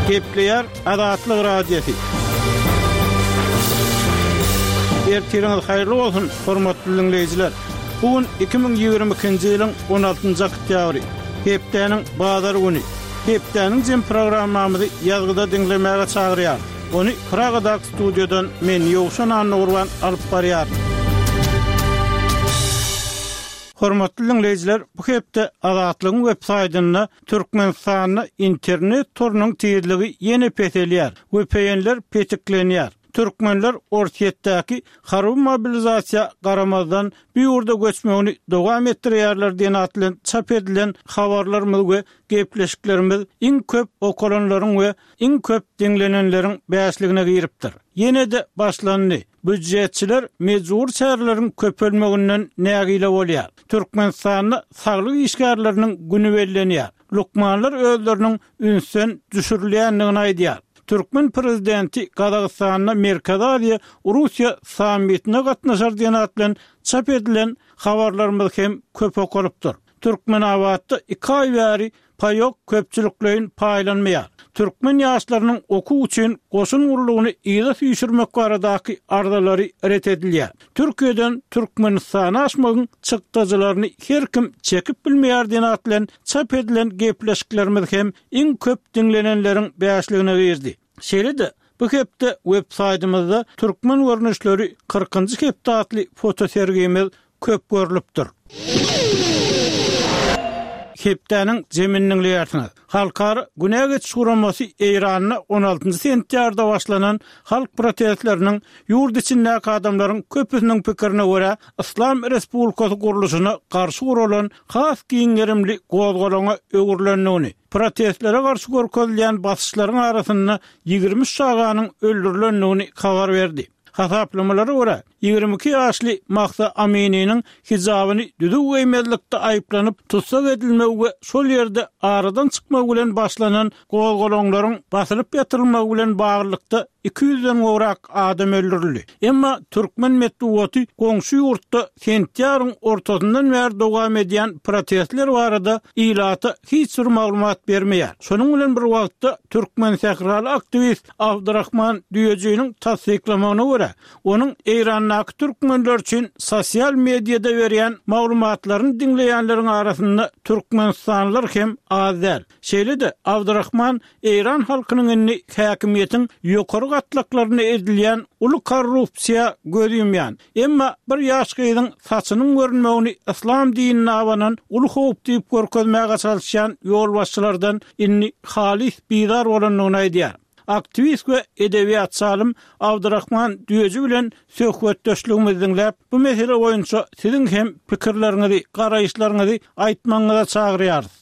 Gepleýär Azatlyk Radiosy. Ertiriňiz haýyrly bolsun, hormatly diňleýjiler! Bu gün 2022-nji ýylyň 16-njy oktýabry, hepdäniň bazar güni. Hepdäniň jem programmamyzy ýazgyda diňlemäge çagyrýarys. Ony Pragadaky studiýadan men, Ýowşan Annagurban alyp barýaryn. Hormatly diňleýjiler, bu hepde Azatlygyň web saýtynda Türkmenistanda internet torunyň tizligi ýene peselýär, VPN-ler petiklenýär. Türkmenler Orsýetdäki harby mobilizasiýa garamazdan bu ýurda göçmegini dowam etdirýärler diýen at bilen çap edilen habarlarymyz we gepleşiklerimiz iň köp okalanlaryň we iň köp diňlenenleriň bäşligine giripdir. Ýene-de başlandy. Býujetçiler mejbury çäreleriň köpelmeginden nägile bolýar. Türkmenistanda saglyk işgärleriniň güni bellenýär. Lukmanlar özleriniň ünsden düşürilýändigini aýdýar. Türkmen prezidenti Gazagystanda Merkezi Aziýa, Russiýa sammitine gatnaşar diýen at bilen çap edilen habarlarymyz hem köp okalypdyr. Türkmenabatda iki aý bäri paýok köpçülikleýin paýlanmaýar. Türkmen ýaşlarynyň okuw üçin goşun gullugyny yza süýşürmek baradaky arzalary ret edilýär. Türkiýeden Türkmenistana aşmagyň çykdajylaryny her kim çekip bilmeýär diýen at bilen çap edilen gepleşiklerimiz hem iň köp diňlenenleriň bäşligine girdi. Şeýle-de, bu hepde web-saýtymyzda Türkmen görnüşleri kyrkynjy hepde atly fotosergimiz köp görlüpdir. Hepdäniň jemini diňleýärsiňiz. Halkara Günä geçiş guramasy Eýranda on altynjy sentýabrda başlanan halk protestleriniň ýurt içindäki adamlaryň köpüsiniň pikirine görä Yslam Respublikasy gurluşyna garşy guralan has giň gerimli gozgalaňa öwrülendigini, protestlere garşy görkezilýän basyşlaryň arasynda 23 çaganyň öldürilendigini habar berdi. Hasaplamalara görä, 22 ýaşly Mahsa Amininiň hijabyny düzüw geýmezlikde aýyplanyp tussag edilmegi we şol ýerde aradan çykmagy bilen başlanan gozgalaňlaryň basylyp ýatyrylmagy bilen baglylykda 200-den gowrak adam öldürildi. Emma türkmen metbugaty goňşy ýurtda sentýabryň ortasyndan bäri dowam edýän protestler barada ilata hiç bir maglumat bermeýär. Şonuň bilen bir wagtda, türkmensähraly aktiwist Abdyrahman Düýejiniň tassyklamagyna görä, onuň Eýrandaky türkmenler üçin sosial mediada berýän maglumatlaryny diňleýänleriň arasynda türkmenistanlylar hem az däl. Şeýle-de, Abdyrahman eýran halkynyň indi häkimiýetiň ýokary gatlaklarynda edilýän uly korrupsiýa göz ýumýan, emma bir ýaş gyzyň saçynyň görünmegini yslam dinine abanan uly howp diýip görkezmäge çalyşýan ýolbaşçylardan indi halys bizar bolandygyny aýdýar. Aktiwist we edebiýatçy alym Abdyrahman Düýeji bilen söhbetdeşligimizi diňläp, bu mesele boýunça siziň hem pikirleriňizi, garaýyşlaryňyzy aýtmagyňyza çagyrýarys.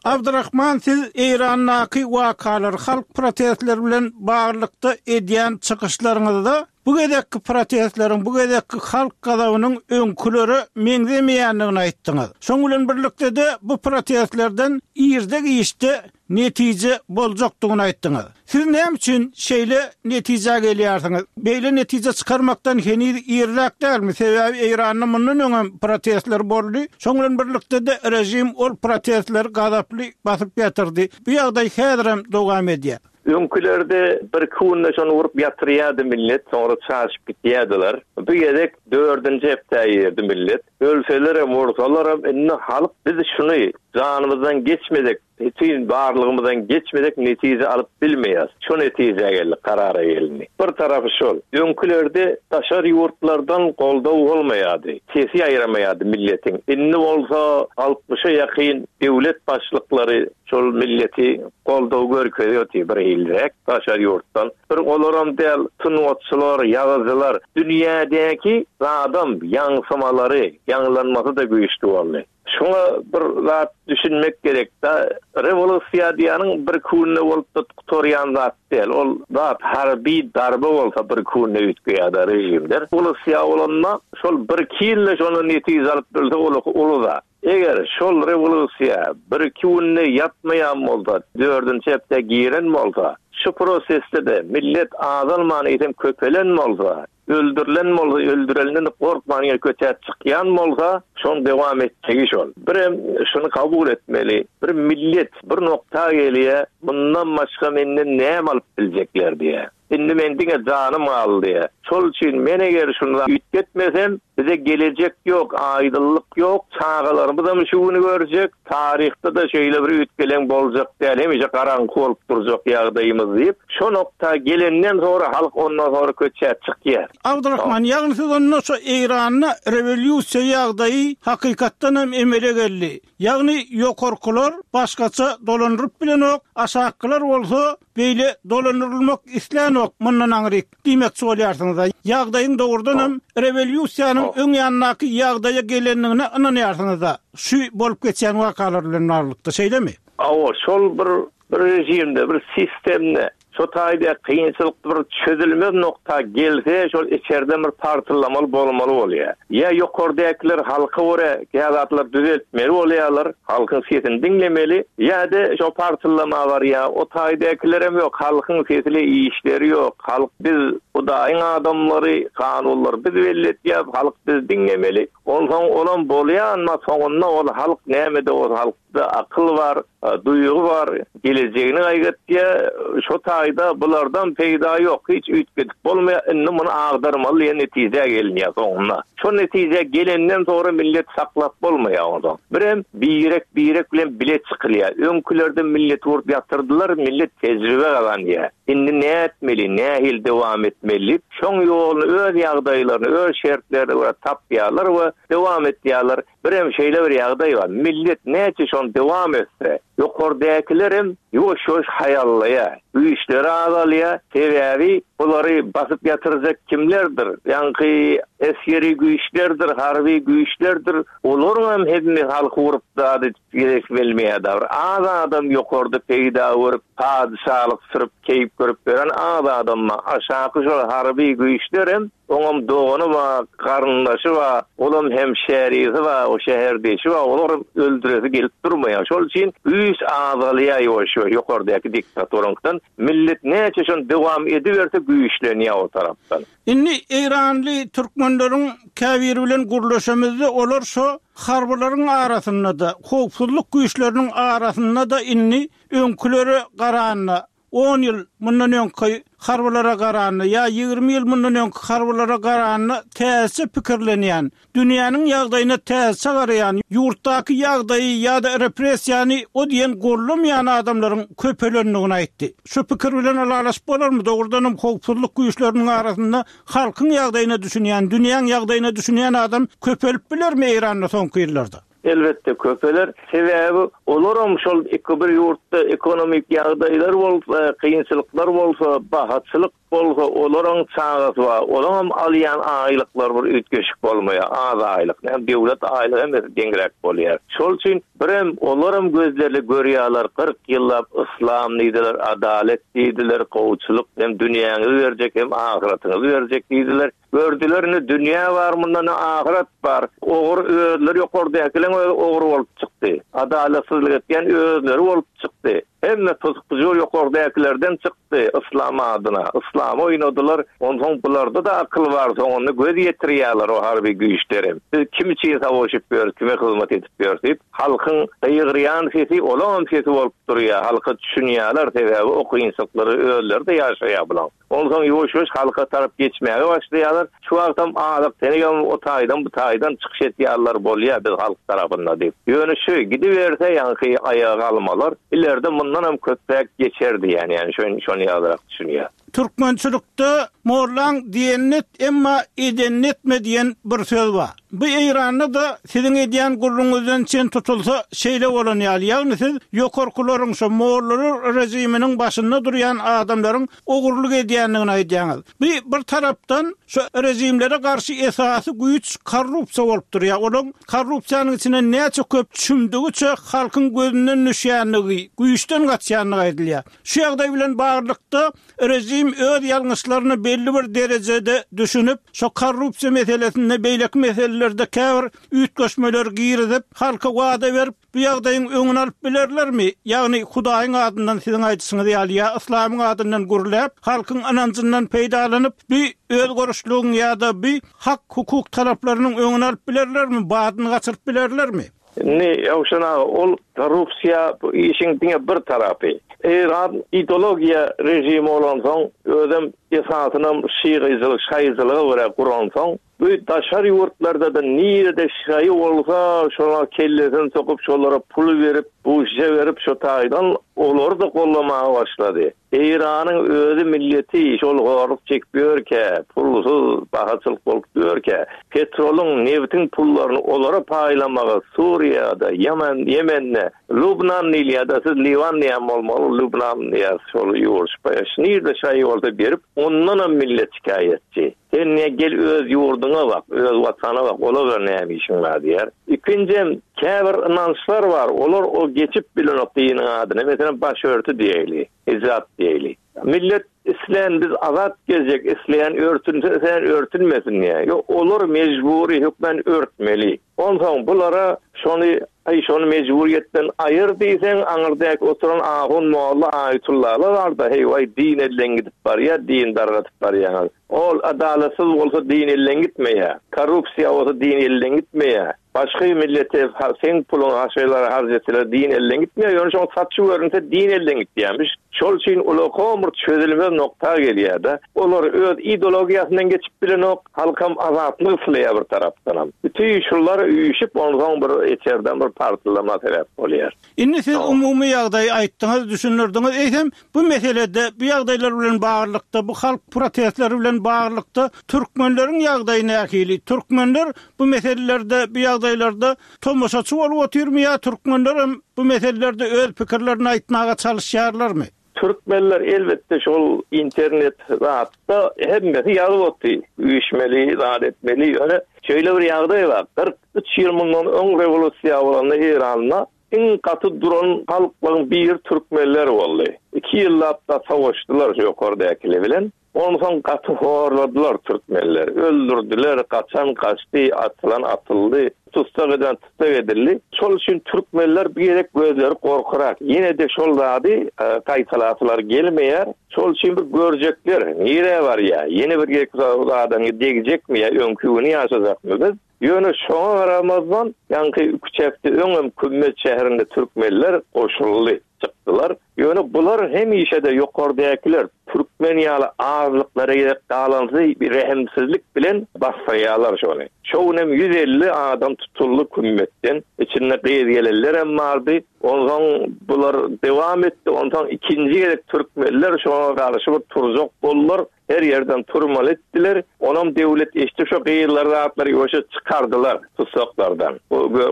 Abdyrahman siz Eýrandaky wakalar, halk protestleri bilen baglylykda edýän çykyşlaryňyzda bu gezekki protestleriň, bu gezekki halk gazabynyň öňkülere meňzemeýändigini aýtdyňyz. Şoň bilen birlikde-de bu protestlerden irde-giçde netije boljakdygyny aýtdyňyz. Siz näme üçin şeýle netijä gelýärsiňiz? Beýle netije çykarmakdan heniz irräk dälmi? Sebäbi Eýranda mundan öňem protestler boldy. Şoň bilen birlikde-de režim ol protestleri gazaply basyp ýatyrdy. Bu ýagdaý häzirem dowam edýär. Öňkülerde birki günde şony urup ýatyrýardy millet, soňra çaşyp gitýärdiler. Bu gezek dördünji hepdä girdi millet. Ölselerem, ursalaram indi halk biz şuny janymyzdan geçmesek, Bütin barlygymyzdan geçmesek netije alyp bilmeýäs. Şo netijä geldik, karara gelindi. Bir tarapy şol. Öňkülerde daşary ýurtlardan goldaw bolmaýardy. Sesi ýaýramaýardy milletiň. Indi bolsa altmyşa ýakyn döwlet başlyklary şol milleti goldaw görkezýärdi birhiliräk daşary ýurtdan. Bir olaram däl, sungatçylar, ýazyjylar, dünýädäki zadam ýaňsymalary, ýaňlanmasy-da güýçli boldy. Şuňa bir zat düşünmek gerek-da, rewolýusiýa diýýäniň bir künde bolup-da gutarýan zat däl. Ol zat harby darbe bolsa bir künde üýtgeýär-de režimler. Rewolýusiýa bolanda şol birki ýylda şondan netije alyp bilse ol uly zat. Eger şol rewolýusiýa birki günde ýatmaýan bolsa, dördünji hepdä giren bolsa, şu prosesde-de millet azalman eýsem köpelen bolsa,. Öldürilen bolsa, öldürenden gorkman ýene köçä çykýan bolsa, şoň dowam etjegi şol. Birem şuny kabul etmeli, bir millet bir nokta gelýär, mundan başga menden näme alyp biljekler diýýär. Indi men diňe janym galdy diýýär. Şol üçin men eger şuny üýtgetmesem, bize gelejek ýok, aýdynlyk ýok, çagalarymyzam şu güni görjek, taryhda-da şeýle bir üýtgeleň boljak däl, hemişe garaňky bolup durjak ýagdaýymyz diýip, şo nokta gelenden soňra halk ondan soňra köçä çykýar. Abdurahman, ýagny siz onda şo Eýranda rewolýusiýa ýagdaýy hakykatdan hem emele geldi. Ýagny ýokarkylar başgaça dolandyryp bilenok, aşakkylar bolsa beýle dolandyrylmak islänok mundan aňryk diýmekçi bolýarsyňyz-a. Ýagdaýyň dogrudan hem rewolýusiýanyň öň ýanyndaky ýagdaýa gelendigine ynanýarsyňyz-a şu bolup geçýän wakalar bilen baglylykda, şeýlemi? Hawa, şol bir Bir režimde, bir sistemde şo taýda kynçylyk bir çözülmez nokta gelse, şol içerden bir partyllamaly bolmaly bolýar. Ýa ýokardäkiler halka görä kä zatlar düzeltmeli bolýarlar, halkyň sesini diňlemeli, ýa-da şo partyllama barýar, o taýdakilerem ýok, halkyň sesile işleri ýok, halk biz Hudaýyň adamlary, kanunlary biz belli etýäs, halk bizi diňlemeli. Onsoň olam bolýar, emma soňunda ol halk näme-de bolsa halk. Da akyl bar, duýgy bar, gelejegini gaýgytýar. Şo taýda bulardan peýda ýok, hiç üýtgedip bolmaýar, indi muny agdarmaly diýen netijä gelinýär soňunda. Şo netijä gelenden soňra milleti saklap bolmaýar onsoň. Birem birek-birek bilen bile çykylýar. Öňkülerde milleti urup ýatyrdylar, millet tejribe gazanýar. Indi nätmeli, nähili dowam etmeli diýip, şoň ýoluny öz ýagdaýlaryna, öz şertlerine görä tapýarlar we dowam etýärler. Birem şeýle bir ýagdaý bar, millet näçe şony dowam etse, ýokardäkilerem ýuwaş-ýuwaş haýallaýar, güýçleri azalýar, sebäbi bulary basyp ýatyrjak kimlerdir, ýaňky esgeri güýçlerdir, harby güýçlerdir, olaryňam hemme halky urup zat edip gezesi gelmeýär-de, bir az adam ýokarda peýda görüp, padyşalyk sürüp, keýp görüp ýören az adam bar, aşaky şol harby güýçlerem Oňam dogany bar, garyndaşy bar, olam hemşärisi bar, o şäherdeşi bar, olaram öldüresi gelip durmaýar. Şol üçin güýç azalýar ýuwaş-ýuwaş ýokardaky diktaturaňkydan. Millet näçe şony dowam ediberse güýçlenýär o tarapdan. Indi eýranly türkmenleriň käbiri bilen gürleşemizde olar şo harbylaryň arasynda-da, howpsuzlyk güýçleriniň arasynda-da indi öňkülere garanda On ýyl mundan öňki harbylara garanda ýa 20 ýyl mundan öňki harbylara garanda täzeçe pikirlenýän, dünýäniň ýagdaýyna täzeçe garaýan, ýurtdaky ýagdaýy ýa-da repressiýany o diýen gollamaýan adamlaryň köpelendigini aýtdy. Şu pikir bilen ylalaşyp bolarmy? Dogrudanam howpsuzlyk güýçleriniň arasynda halkyň ýagdaýyna düşünýän, dünýäň ýagdaýyna düşünýän adam köpelip bilermi Eýranda soňky ýyllarda? Elbetde köpeler. Sebäbi olaram şol iki bir ýurtda ekonomik ýagdaýlar bolsa, kynçylyklar bolsa, bahaçylyk bolsa olaryň çagasy bar. Olaňam alýan aýlyklary bir üýtgeşik bolmaýar. Az aýlyk. Näme döwlet aýlygy hemmesi deňräk bolýar. Şol üçin birem olaram gözlerli görýärler 40 ýyllap yslam diýdiler, adalet diýdiler, gowuçylyk hem dünýäňizi berjek hem ahyratyňyzy berjek diýdiler. Gördüler ne dünýä bar munda ne ahyret bar. Ogry özleri ýokardäkileň özi ogry bolup çykdy. Adalatsyzlyk etýän özleri bolup çykdy. Hemme pysk-pyjur ýokardäkilerden çykdy yslam adyna. Yslamy oýnadylar. Onsoň bularda-da akyl bar soňunda göz ýetirýärler o harby güýçlerem. Biz kim üçin savaşyp ýörüs kime hyzmat edip ýörüs diýip halkyň gygyrýan sesi olaňam sesi bolup durýar. Halka düşünýärler sebäbi o kynçylyklary özleri-de ýaşaýar bulaň. Onsoň ýuwaş-ýuwaş halka tarap geçmäge başlaýarlar. Şu wagtam azyk-tenigem o taýdan, bu taýdan çykyş etýärler, bolýar, biz halk tarapynda diýip. Ýöne şu gidiberse ýaňky aýaga galmalar, ileride mundanam köpräk geçer diýýän, ýani şony ýalyrak düşünýän. Türkmençilikde Mollaň diýenini et, emma edenini etme diýen bir söz bar. Bu Eýranda-da siziň edýän gürrüňiňizden çen tutulsa şeýle bolan ýaly, ýagny siz ýokarkylaryň, şo mollalar režiminiň başynda durýan adamlaryň ogurlyk edýändigini aýdýaňyz. Bu bir tarapdan şo režimlere garşy esasy güýç korrupsiýa bolup durýar. Olaň korrupsiýanyň içine näçe köp çümdügiçe halkyň gözünden düşýändigi, güýçden gaçýandygy aýdylýar. Şu ýagdaý bilen baglylykda režim öz ýalňyşlaryny. belli bir derejede düşünip, şo korrupsiýa meselesinde, beýleki meselelerde käbir üýtgeşmeleri girizip, halka wada berip, bu ýagdaýyň öňüni alyp bilerlermi? Ýagny Hudaýyň adyndan siziň aýdyşyňyz ýaly ýa yslamyň adyndan gürläp, halkyň ynanjyndan peýdalanyp, bi özgerişligiň ýa-da bi hak-hukuk talaplarynyň öňüni alyp bilerlermi, badyny gaçyryp bilerlermi? Indi Ýowşan aga, ol korrupsiýa bu işiň diňe bir tarapy. Eýran ideologiýa režimi bolansoň, özem esasynam şygyjylyk, şaýyjylyga görä guransoň, bu daşary ýurtlarda-da nirede şaýy bolsa, şoňa kellesini sokup, şolara pul berip, buşja berip, şo taýdan olary-da gollamaga başlady. Eýranyň özi milleti şol horluk çekip ýörkä, pulsuz bahaçylyk bolup ýörkä, petrolyň, nebtiň pullaryny olara paýlamagy Suriýada, Ýemen, Ýemende, Lubnan diýilýär-de, siz Liwan diýen bolmaly, Lubnan diýýäs şol ýurt, nirde şaýy bolsa berip, ondanam millet şikaýatçy. Sen ne gel öz ýurduňa bak, öz watana bak, olar bilen näme işiň bar diýýär. Ikinjem, käbir ynançlar bar, olar o geçip bilenok diniň adyna, meselem başörtü diýeýli, hijap diýeýli. Millet islän biz azat gezjek, isleýän örtünse, isleýän örtünmesin diýýär. Ýok, olar mejbury hökmän örtmeli. Onsoň bulara şony, aý şony mejburyýetden aýyr diýseň, aňyrdäki oturan ahun, molla, aýtullalar bar-da, heý waý din elden gidip barýar, din dargatyp barýaňyz. Ol adalatsyz bolsa din elden gitmeýär, korrupsiýa bolsa din elden gitmeýär. Başga millete seň puluňy haşaýlara harç etseler din elden gitmeýär, ýöne şoň saçy görünse din elden gitýärmiş. Şol üçin ulakam bir çözülmez nokta gelýär-de. Olar öz ideologiýasyndan geçip bilenok. Halkam azatlyk isleýär bir tarapdanam. Bütin şular üýşüp onsoň bir içerden bir partlama sebäp bolýar. Indi siz umumy ýagdaýy aýtdyňyz, düşündirdiňiz. Eýsem, bu meselede, bu ýagdaýlar bilen baglylykda, bu halk protestleri bilen baglylykda türkmenleriň ýagdaýy nähili? Türkmenler bu meselelerde, bu ýagdaýlarda tomaşaçy bolup otyrmy ýa türkmenlerem bu meselelerde öz pikirlerini aýtmaga çalyşýarlarmy? Türkmenler elbetde şol internet zatda hemmesi ýazyp otdy. Üýşmeli, zat etmeli. Ýöne şeýle bir ýagdaý bar. 43 ýyl mundan öň rewolýusiýa bolanda Eýranda iň gaty duran halklaryň biri türkmenler boldy. Iki ýyllap da savaşdylar şu ýokardäkiler bilen. Onsoň gaty horladylar türkmenleri. Öldürdiler, gaçan gaçdy, atylan atyldy, tussag edilen tussag edildi. Şol üçin türkmenler bir gezek gözleri gorkurak. Ýene-de şol zady gaýtalasylar gelmeýär. Şol üçin bir görjekler, nirä barýar, ýene bir gezek zadany degjekmi ýa öňki güni ýaşajakmy biz? Ýöne şoňa garamazdan, ýaňky üç hepde öňem Kümmet şäherinde türkmenler goşuldy, çykdylar. Ýöne bular hemişe-de ýokardäkiler türkmen ýaly azlyklara gezek galansy bir rehimsizlik bilen basdyrýarlar şony. Şo günem 150 adam tutuldy Kümmetden. Içinde gyz-gelinlerem bardy. Onsoň bular dewam etdi. Onsoň ikinji gezek türkmenler şoňa garşy bir turjak boldular. Her ýerden turmaly etdiler. Onam döwlet eşdi şo gyzlary zatlary ýoşa çykardylar tussaklardan.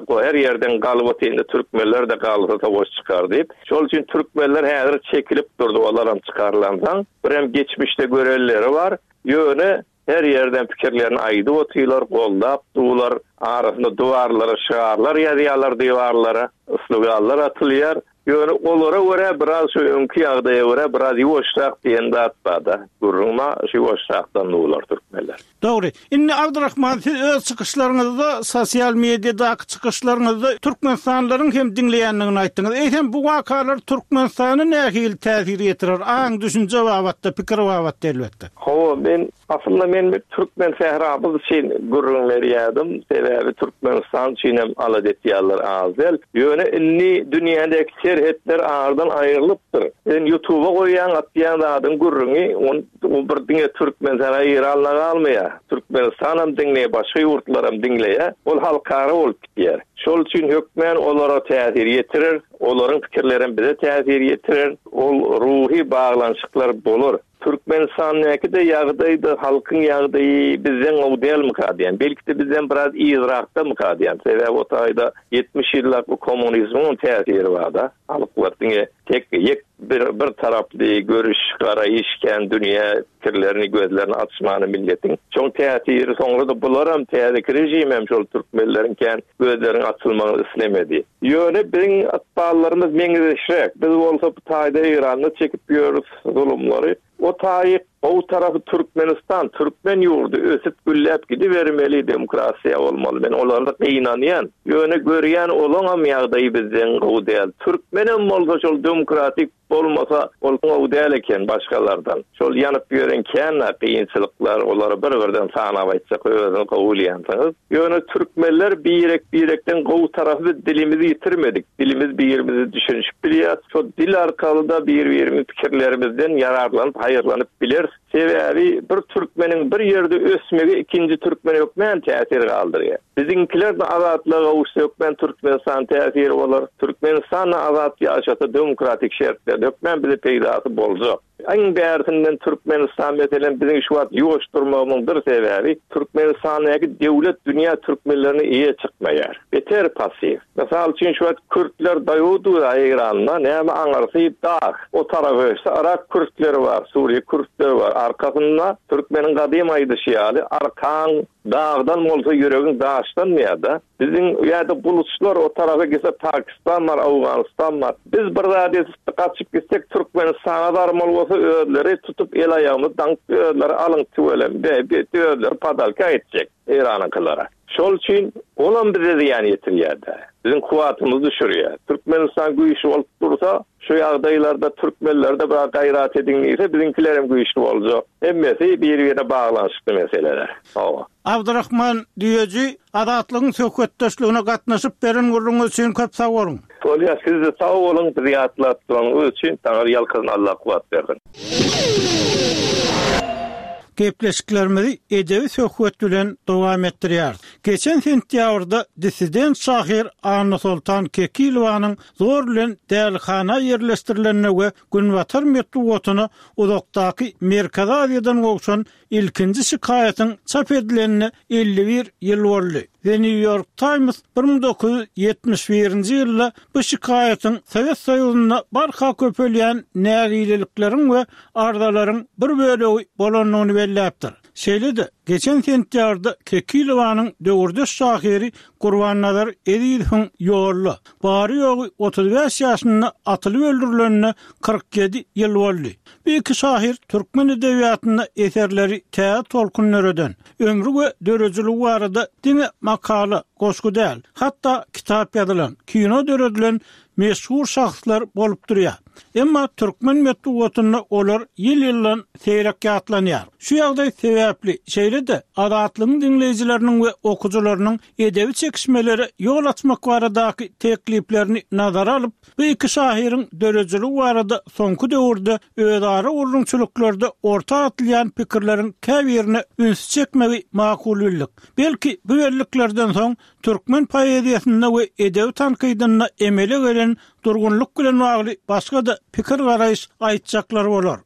Bu her ýerden galyp otyrdy türkmenler-de galsa sowaş çykar diýip. Şol üçin türkmenler häzir çekilip durdy olaram çykarylansoň. Birem geçmişde görenleri bar. Ýöne her ýerden pikirlerini aýdyp otyrlar, goldap durlar. Arasynda duwarlara şygarlar ýazýarlar diwarlara. Sloganlar atylýar. Ýöne olara görä biraz şu öňki ýagdaýa görä biraz ýuwaşrak diýen zat barda. Gürrüň bar, şu ýuwaşrakdan duwlar türkmenler. Dogry. Indi Abdyrahman siz öz çykyşlaryňyzda sosial mediadaky çykyşlaryňyzda türkmenistanlylaryň hem diňleýändigini aýtdyňyz. Eýsem bu wakalar Türkmenistana nähili täsir ýetirer, aň düşünje babatda, pikir babatda elbetde? Hawa, men Aslynda men bir türkmen sähramyz üçin gürrüň berýärdim. Sebäbi Türkmenistan üçin hem alada etýärler az däl. Ýöne indi dünýädäki serhetler aradan aýrylypdyr. Sen ýutuba goýýaň atýan zadyň gürrüňi ol bir diňe türkmen sähra Eýranda galmaýar. Türkmenistanam diňleýär başga ýurtlaram diňleýär. Ol halkara bolup gidýär. Şol üçin hökmän olara täsir ýetirer. Olaryň pikirlerem bize täsir ýetirer. Ol ruhy baglanyşyklar bolar. Türkmenistandaky-da ýagdaý-da halkyň ýagdaýy bizden gowy dälmika diýýän. Belki-de bizden biraz yzrakdamyka diýýän. Sebäbi o taýda 70 ýyllap bu kommunizmiň täsiri bar-da. Halklar diňe tek ýek bir bir taraply görüş, garaýyş kän dünýä pikirlerini, gözlerini açmany milletiň. Şoň täsiri soňra-da bularam täzeki režimem şol türkmenleriň kän gözleriniň açylmagyny islemedi. Ýöne biziň ykballarymyz meňzeşräk. Biz bolsa bu taýda Eýranda çekip ýörüs zulumlary. O taýyk gowy tarapy Türkmenistan, türkmen ýurdy ösüp gülläp gidibermeli demokrasiýa bolmaly. Men olarda gynanýan. Ýöne görýän olaňam ýagdaýy bizden gowy däl. Türkmenem bolsa şol demokratik bolmasa ol gowy däl eken başgalardan. Şol ýanyp ýören kän-ä kynçylyklar olary bir birden sanap aýtjak özüňiz gowy bilýänsiňiz. Ýöne türkmenler birek birekden gowy tarapy biz dilimizi ýitirmedik. Dilimiz birimizi düşünişip bilýäs. Şo dil arkaly-da bir birimiz pikirlerimizden ýararlanyp haýyrlanyp bileris. Sebäbi bir türkmeniň bir ýerde ösmegi ikinji türkmene hökmän täsir galdyrýar. Biziňkiler-de azatlyga gowuşsa hökmän Türkmenistan täsiri bolar. Türkmenistan-da azat ýaşasa demokratik şertlerde hökmän bize peýdasy boljak. Iň bärsinden Türkmenistan meselem biziň şu wagt ýuwaş durmagymyň bir sebäbi Türkmenistandaky döwlet dünýä türkmenlerine eýe çykmaýar. Beter passiw. Mysal üçin şu wagt kürtler daýowdyr Eýranda näme aňyrsy dag. O tarapa geçse Yrak kürtleri bar, Suriýe kürtleri bar. Arkasynda türkmeniň gadym aýdyşy ýaly arkaň dagdan bolsa ýüregiň daşdan diýýär-de. Biziň ýa-da buluçlar o tarapa gitse Pakistan bar, Owganystan bar. Biz bir zat edip gaçyp gitsek Türkmenistana barmaly bolsa özleri tutup el-aýagymyzy daňyp özleri alyň tüweleme be özleri padalka etjek Eýranyňkylara. Şol üçin olam bize zyýan ýetirýär-de. Biziň kuwwatymyzy düşürýär. Türkmenistan güýçli bolup dursa şu ýagdaýlarda türkmenlerde biraz gaýrat ediň diýse biziňkilerem güýçli boljak. Hemmesi bir-birine baglanyşykly meseleler. Hawa. Abdyrahman Düýeji Azatlygyň söhbetdeşligine gatnaşyp beren gürrüňiňiz üçin köp sag boluň. Bolýa sizde sag boluň bizi ýatlap duranyňyz üçin Taňry ýalkasyn Allah kuwwat bersin. Gepleşiklerimizi edebi söhbet bilen dowam etdirýäris. Geçen sentýabrda dissident şahyr Annasoltan Kekilowanyň zor bilen dälihana ýerleşdirilenine we günbatar metbugatyna uzakdaky Merkezi Aziýadan gowşan Ilkinji şikaýatyň çap edilenine 51 ýyl boldy. The New York Times 1971-nji ýylda bu şikaýatyň Sowet Soýuzynda barha köpelýän nägilelikleriň we arzalaryň bir bölegi bolandygyny belläpdir. Şeýle-de, geçen sentýabrda Kekilowanyň döwürdeş şahyry Gurbannazar Ezizowyň ýolda, bary-ýogy 35 ýaşynda atylyp öldürilenine 47 ýyl boldy. Bu iki şahyr türkmen edebiýatynda eserleri täze tolkun döreden, ömri we döredijiligi barada diňe makala, goşgy däl, hatda kitap ýazylan, kino döredilen meşhur şahslar bolup durýar. Emma türkmen metbugatynda olar ýyl-ýyldan seýrek ýatlanýar. Şu ýagdaý sebäpli, şeýle-de Azatlygyň diňleýjileriniň we okyjylarynyň edebi çekişmelere ýol açmak baradaky tekliplerini nazara alyp, Bu iki şahyryň döredijiligi barada soňky döwürde özara gürrüňçiliklerde orta atylýan pikirleriň käbirine ünsi çekmegi makul bildik. Belki, bu belliklerden soň türkmen poeziýasynda we edebi tankydynda emele gelen durgunlyk bilen bagly başga-da pikir-garaýyş aýtjaklar bolar.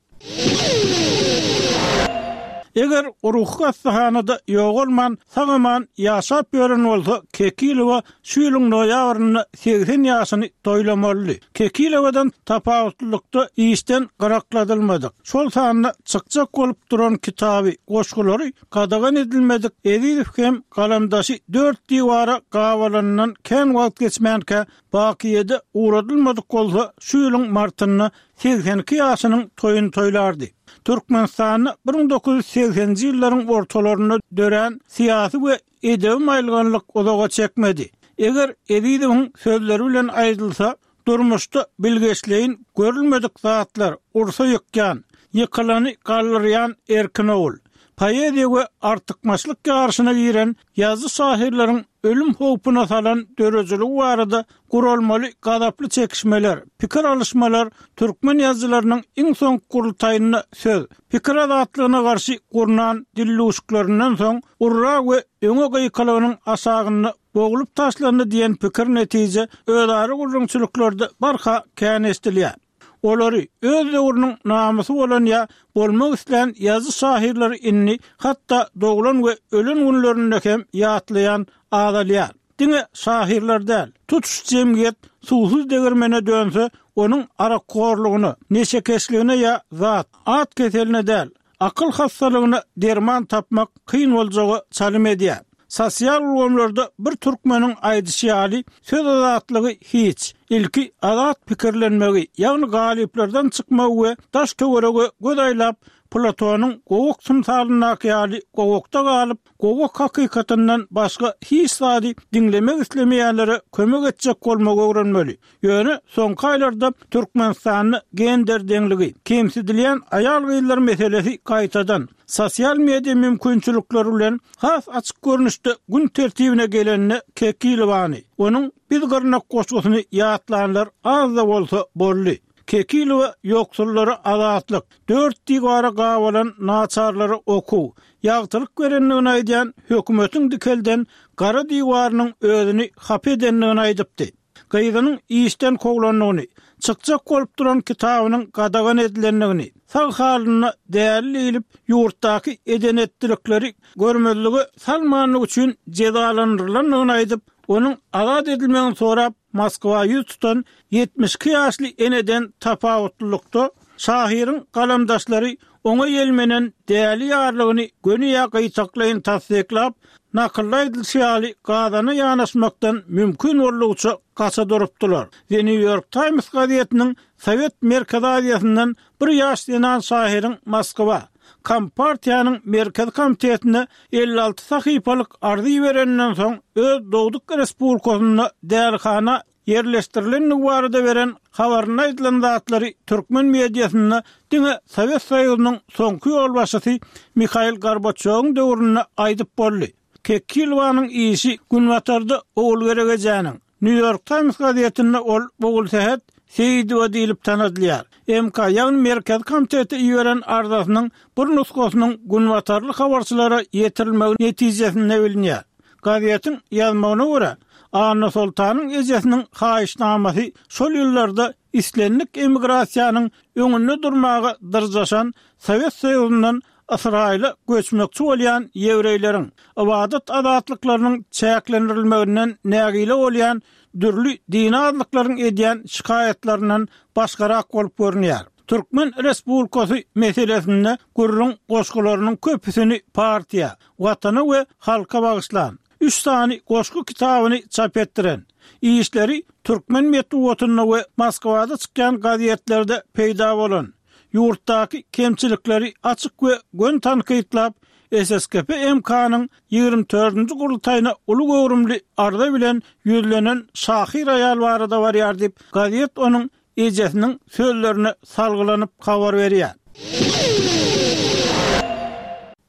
Eger ruhy hassahanada ýogalman, sag-aman ýaşap ýören bolsa, Kekilowa şu ýylyň noýabrynda 80 ýaşyny toýlamalydy. Kekilowadan tapawutlylykda işden gyrakladylmadyk, şol sanda çykjak bolup duran kitaby, goşgulary gadagan edilmedik Ezizow hem galamdaşy dört diwara gabalanyndan kän wagt geçmänkä bakyýede ugradylmadyk bolsa, şu ýylyň martynda 82 ýaşynyň toýuny toýlardy. Türkmenistanda 1980-nji ýyllaryň ortalarynda dörän syýasy we edebi maýylganlyk uzaga çekmedi. Eger Ezizowyň sözleri bilen aýdylsa, durmuşda bilgeşleýin görülmedik zatlar ursa ýykýan, ýykylany galdyrýan erkin ogul. Poeziýa we artykmaçlyk ýaryşyna giren ýazyjy-şahyrlaryň ölüm howpuna salan döredijiligi barada guralmaly gazaply çekişmeler, pikir alyşmalar türkmen ýazyjylarynyň iň soňky gurultaýynda söz, pikir azatlygyna garşy gurnan dildüwşüklerinden soň urra we öňe gykylygynyň aşagynda boglup taşlandy diýen pikir-netije özara gürrüňçiliklerde barha kän eşidilýär. Olary öz döwrüniň namysy bolan ýa bolmak islän ýazyjy-şahyrlary indi hatda doglan we ölen günlerinde hem ýatlaýan azalýar. Diňe şahyrlar däl, tutuş jemgyýet suwsuz degirmene dönse, onuň arakhorlugyna, neşekeşligine ýa zat, at keseline däl, akyl hassalygyna derman tapmak kyn boljaga çalym edýär. Sosial ulgamlarda bir türkmeniň aýdyşy ýaly, söz azatlygy hiç. Ilki azat pikirlenmegi, ýagny galyplardan çykmagy we daş-töwerege göz aýlap, Platonyň gowak tymsalyndaky ýaly gowakda galyp, gowak hakykatyndan başga hiç zady diňlemek islemeýänlere kömek etjek bolmagy öwrenmeli. Ýöne soňky aýlarda Türkmenistanda gender deňligi, kemsidilýän aýal-gyzlar meselesi gaýtadan, sosial media mümkinçilikleri bilen has açyk görnüşde gün tertibine geleninde Kekilowany, onuň Biz gyrnak goşgusyny ýatlanlar az-da bolsa boldy. Kekilowa ýoksullara azatlyk, dört diwara gabalan naçarlara okuw, ýagtylyk berendigini aýdýan hökümetiň dikelden gara diwarynyň özüni hapa edendigini aýdypdy. Gyzynyň işden kowlandygyny, çykjak bolup duran kitabynyň gadagan edilendigini, sag halynda däli diýlip, ýurtdaky eden-etdilikleri görmezlige salmanlygy üçin jezalandyrylandygyny aýdyp, onuň azat edilmegini sorap, Moskwa ýüz tutan 72 ýaşly eneden tapawutlylykda, şahyryň galamdaşlary oňa ýelmenen däli ýarlygyny göni ýa gytaklaýyn tassyklap, nakylda aýdylyşy ýaly gazana ýanaşmakdan mümkin boldugyça gaça durupdylar. The New York Times gazetiniň Sowet Merkezi Aziýasyndan bir ýaş zenan şahyryň Moskwa, Kompartiýanyň Merkezi Komitetine 56 sahypalyk arza ibereninden soň öz dogduk respublikasynda dälihana ýerleşdirilendigi barada beren habarynda aýdylan zatlary türkmen mediasynda diňe Sowet Soýuzynyň soňky ýolbaşçysy Mihail Gorbaçýowyň döwründe aýdyp boldy. Kekilowanyň işi Günbatarda Ogulgerek ejäniň, Nýu-Ýork Taýms gazetinde ol Ogulsähet Seýidowa diýlip tanadylýar. MK, ýagny Merkezi komitete iberen arzasynyň bir nusgasynyň günbatarly habarçylara ýetirilmegi netijesinde bilinýär. Gazetiň ýazmagyna görä, Annasoltanyň ejesiniň haýyşnamasy şol ýyllarda islendik emigrasiýanyň öňünde durmaga dyrjaşan Sowet Soýuzyndan Ysraýyla göçmekçi bolýan ýewreýleriň, ybadat azatlyklarynyň çäklendirilmeginden nägile bolýan dürli dini azlyklaryň edýän şikaýatlaryndan başgarak bolup görünýär. Türkmen Respublikasy meselesinde gürrüň goşgularynyň köpüsini partiýa, Watana we halka bagyşlan, üç sany goşgy kitabyny çap etdiren, işleri türkmen metbugatynda we Moskwada çykýan gazetlerde peýda bolan, ýurtdaky kemçilikleri açyk we göni tankytlap, SSKP MK-nyň 24-nji gurultaýyna uly göwrümli arza bilen ýüzlenen şahyr aýal barada barýar diýip, gazet onuň ejesiniň sözlerine salgylanyp habar berýär.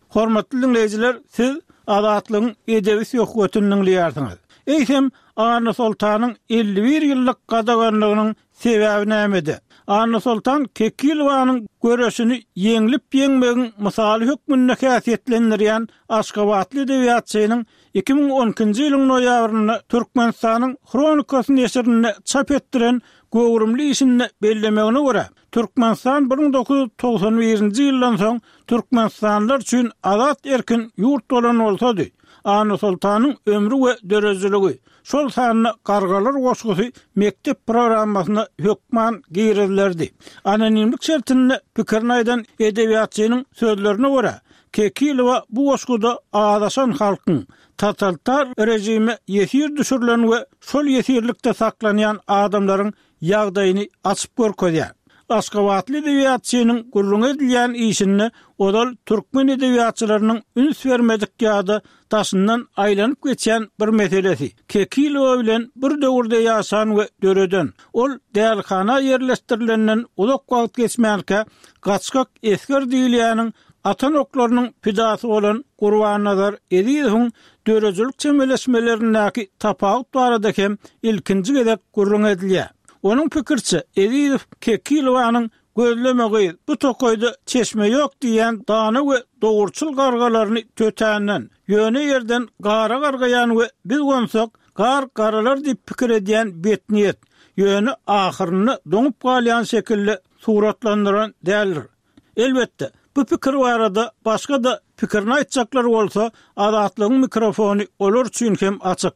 Hormatly diňleýjiler, siz Azatlygyň edebi söhbetini diňleýärsiňiz. Eýsem, Annasoltanyň 51 ýyllyk gadaganlygynyň sebäbi nämede? Annasoltan Kekilowanyň göreşini ýeňlip-ýeňmegiň mysaly hökmünde häsiýetlendirýän aşgabatly edebiýatçynyň 2012-nji ýylyň noýabrynda Türkmenistanyň Hronikasy neşirinde çap etdiren göwrümli işinde bellemegine görä, Türkmenistan 1991-nji ýyldan soň türkmenistanlylar üçin azat-erkin ýurt bolan bolsady, Annasoltanyň ömri we döredijiligi, şol sanda Gargalar goşgusy mekdep programmasyna hökman girizilerdi. Anonimlik şertinde pikirini aýdan edebiýatçynyň sözlerine görä, Kekilowa bu goşguda azaşan halkyň, totalitar režime ýesir düşürilen we şol ýesirlikde saklanýan adamlaryň ýagdaýyny açyp görkezýär. Aşgabatly edebiýatçynyň gürrüňi edilýän işinde ozal türkmen edebiýatçylarynyň üns bermedik ýa-da daşyndan aýlanyp geçýän bir meselesi, Kekilowa bilen bir döwürde ýaşan we döreden, ol dälihana ýerleşdirilenden uzak wagt geçmänkä gaçgak esger diýilýäniň atan oklarynyň pidasy bolan Gurbannazar Ezizowyň döredijilik çemeleşmelerindäki tapawut barada hem ilkinji gezek gürrüň edilýär. Onuň pikiriçe, Ezizow Kekilowanyň Gözleme gyz, bu tokaýda çeşme ýok diýýän dana we dogruçyl gargalaryny tötänden, ýöne ýerden gara gargaýan we biz gonsak, gar garalar diýip pikir edýän betniýet, ýöne ahyrynda doňup galýan şekilde suratlandyran däldir. Elbetde, bu pikir barada başga-da pikirini aýtjaklar bolsa, Azatlygyň mikrofony olar üçin hem açyk.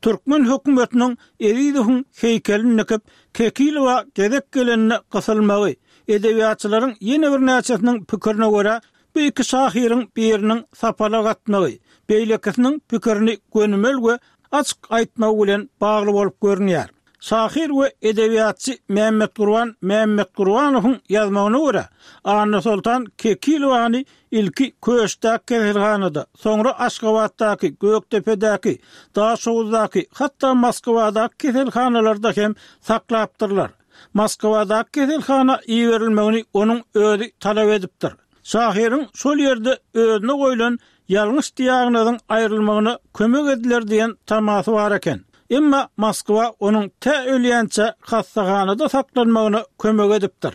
Türkmen hökümetiniň Ezizowyň heýkelini dikip, Kekilowa gezek gelende gysylmagy, edebiýatçylaryň ýene birnäçesiniň pikirine görä, bu iki şahyryň biriniň sapalak atmagy, beýlekisiniň pikirini gönümel we açyk aýtmagy bilen bagly bolup görünýär. Şahyr we edebiýatçy Mämmetgurban Mämmetgurbanowyň ýazmagyna görä, Annasoltan Kekilowany ilki Köşdäki keselhanada, soňra Aşgabatdaky, Gökdepedäki, Daşoguzdaky, hatda Moskwadaky keselhanalarda hem saklapdyrlar. Moskwadaky keselhana iberilmegini onuň özi talap edipdir. Şahyryň şol ýerde özüne goýlan ýalňyş diagnozyň aýrylmagyna kömek ediler diýen tamasy bar eken. Emma Moskwa onuň tä ölýänçä hassahanada saklanmagyna kömek edipdir.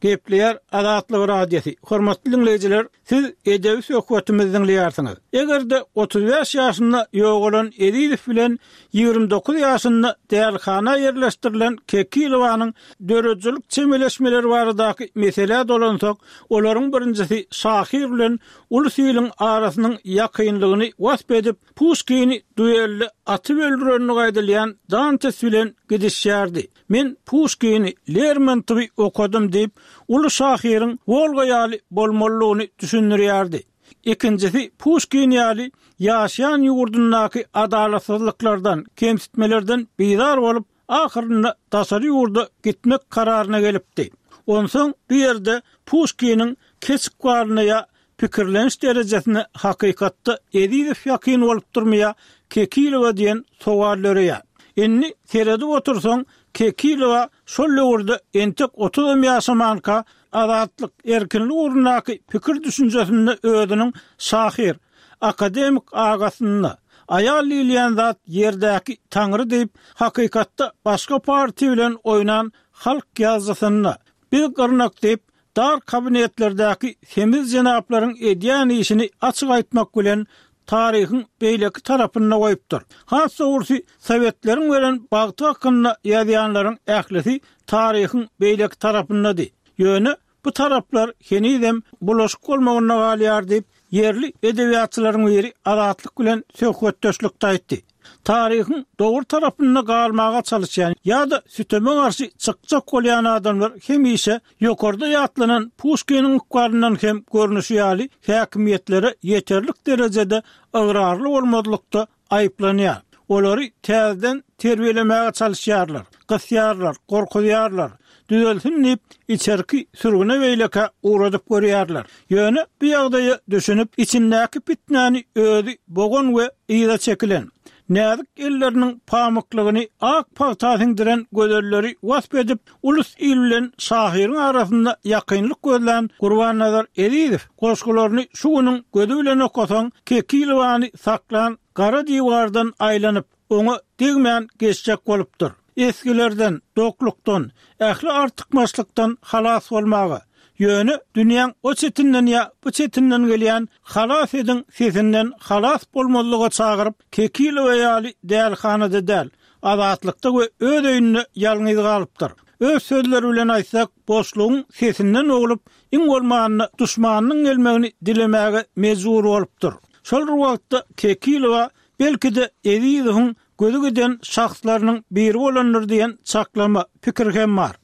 Gepleýär Azatlyk Radiosy, Hormatly diňleýjiler, siz edebi söhbetimizi diňleýärsiňiz. Eger-de 35 ýaşynda ýogalan Ezizow bilen 29 ýaşynda dälihana ýerleşdirilen Kekilowanyň döredijilik çemeleşmeleri baradaky meselä dolansak, olaryň birinjisi şahyr bilen ulus iliň arasynyň ýakynlygyny wasp edip, Puşkini duelde atyp öldürendigi aýdylýan Dantes bilen gidişýärdi. Men Puşkini, Lermontowy okadym diýip, uly şahyryň Wolga ýaly bolmalydygyny düşündirýärdi. Ikinjisi Puşkin ýaly ýaşaýan ýurdundaky adalatsyzlyklardan, kemsitmelerden bizar bolup, ahyrynda daşary ýurda gitmek kararyna gelipdi. Onsoň bu ýerde Puşkiniň keç ykbalyna ýa pikirleniş derejesine hakykatda Ezizow ýakyn bolupdyrmy ýa Kekilowa diýen sowal döreýär. Indi seredip otursaň, Kekilowa şol döwürde entek otuzam ýaşamanka azatlyk, erkinlik ugrundaky pikir-düşünjesinde özüniň şahyr, akademik agasynda, aýal diýilýän zat ýerdäki taňry diýip, hakykatda başga partiýa bilen oýnan halk ýazyjysynda, biz gyrnak diýip, Dar kabinetlerdäki semiz jenaplaryň edýän işini açyk aýtmak bilen taryhyň beýleki tarapynda goýupdyr. Has dogrusy, sowetleriň beren bagty hakynda ýazýanlaryň ählisi taryhyň beýleki tarapyndady. Ýöne bu taraplar henizem bulaşyk bolmagynda galýar diýip, ýerli edebiýatçylaryň biri Azatlyk bilen söhbetdeşlikde aýtdy. Taryhyň dogry tarapynda galmaga çalyşýan ýa-da süteme garşy çykjak bolýan adamlar hemişe ýokarda ýatlanan Puşkiniň ykbalyndan hem görnüşi ýaly häkimiýetlere ýeterlik derejede ygrarly bolmazlykda aýyplanýar. Olary täzeden terbiýelemäge çalyşýarlar, gysýarlar, gorkuzýarlar, düzelsin diýip, içerki sürgüne-beýlekä ugradyp görýärler. Ýöne bu ýagdaýa düşünip, içindäki pitnäni özi bogan we yza çekilen, näzik elleriniň pamyklygyny ak pagta siňdiren gözelleri wasp edip, ulus-il bilen şahyryň arasynda ýakynlyk gözlän Gurbannazar Ezizow goşgularyny şu günüň gözi bilen okasaň, Kekilowany saklan gara diwardan aýlanyp, oňa degmän geçjek bolupdyr. Esgilerden, doklukdan, ähli artykmaçlykdan halas bolmaga, ýöne dünýäň o çetinden ýa bu çetinden gelýän halas ediň sesinden halas bolmazlyga çagyryp, Kekilowa ýaly dälihanada däl, azatlykda we öz öýünde ýalňyz galypdyr. Öz sözleri bilen aýtsak, boşlugyň sesinden boglup, iň bolmanda duşmanynyň gelmegini dilemäge mejbur bolupdyr. Şol bir wagtda Kekilowa Belki-de, Ezizowyň gözi giden şahslarynyň biri bolandyr diýen çaklama, pikir hem bar.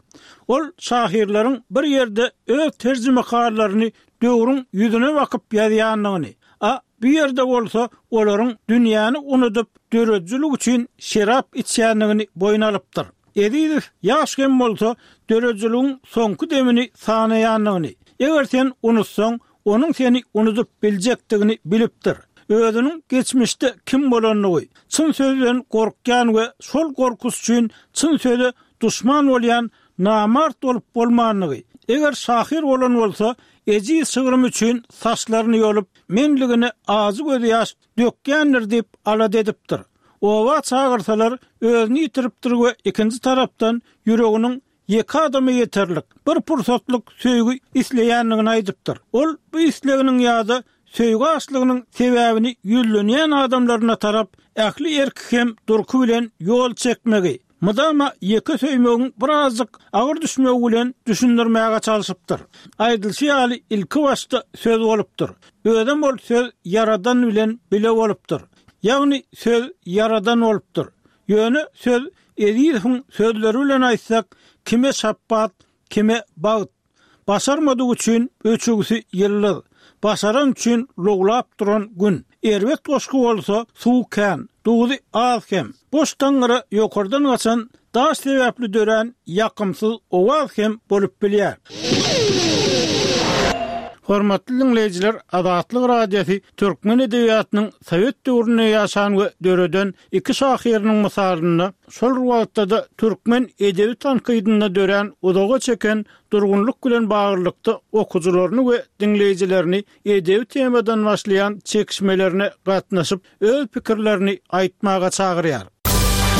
Ol şahyrlaryň bir ýerde öz terjimehallaryny döwrüň ýüzüne bakyp ýazýandygyny, a bu ýerde bolsa olaryň dünýäni unudyp, döredijilik üçin şerap içýändigini boýun alypdyr. Ezizow ýaş hem bolsa, döredijiligiň soňky demini sanaýandygyny, eger sen unutsaň, onuň seni unudyp biljekdigini bilipdir. Özüniň geçmişde kim bolandygy, çyn sözden gorkýan we şol gorkusy üçin çyn söze duşman bolýan namart bolup bolmandygy, eger şahyr bolan bolsa, ejiz şygrym üçin saçlaryny ýolup, menligine ajy gözýaş dökýändir diýip alada edipdir. Oba çagyrsalar, özüni ýitiripdir we ikinji tarapdan ýüreginiň Ýeke adama ýeterlik, bir pursatlyk söýgi isleýändigini aýdypdyr. Ol bu isleginiň ýa-da söýgi açlygynyň sebäbini ýüzlenýän adamlaryna tarap ähli erki hem durky bilen ýol çekmegi, mydama ýeke söýmegiň birazjyk agyr düşmegi bilen düşündirmäge çalşypdyr. Aýdylyşy ýaly, ilkibaşda söz bolupdyr. Özem ol söz Ýaradan bilen bile bolupdyr. Ýagny söz Ýaradan bolupdyr. Ýöne söz Ezizowyň sözleri bilen aýtsak, kime şapbat, kime bagt. Başarmadygy üçin öçügsi ýyldyz. Başaran üçin lowlap duran Gün. Erbet goşgy bolsa suw kän, duzy az hem. Boş taňňyra ýokardan gaçan daş sebäpli dörän ýakymsyz owaz hem bolup bilýär. Hormatly diňleýjiler, Azatlyk Radiosy türkmen edebiýatynyň sowet döwründe ýaşan we döreden iki şahyrynyň mysalynda, şol bir wagtda-da türkmen edebi tankydynda dörän uzaga çeken durgunlyk bilen baglylykda okyjylaryny we diňleýjilerini edebi temadan başlaýan çekişmelerine gatnaşyp, öz pikirlerini aýtmaga çagyrýar.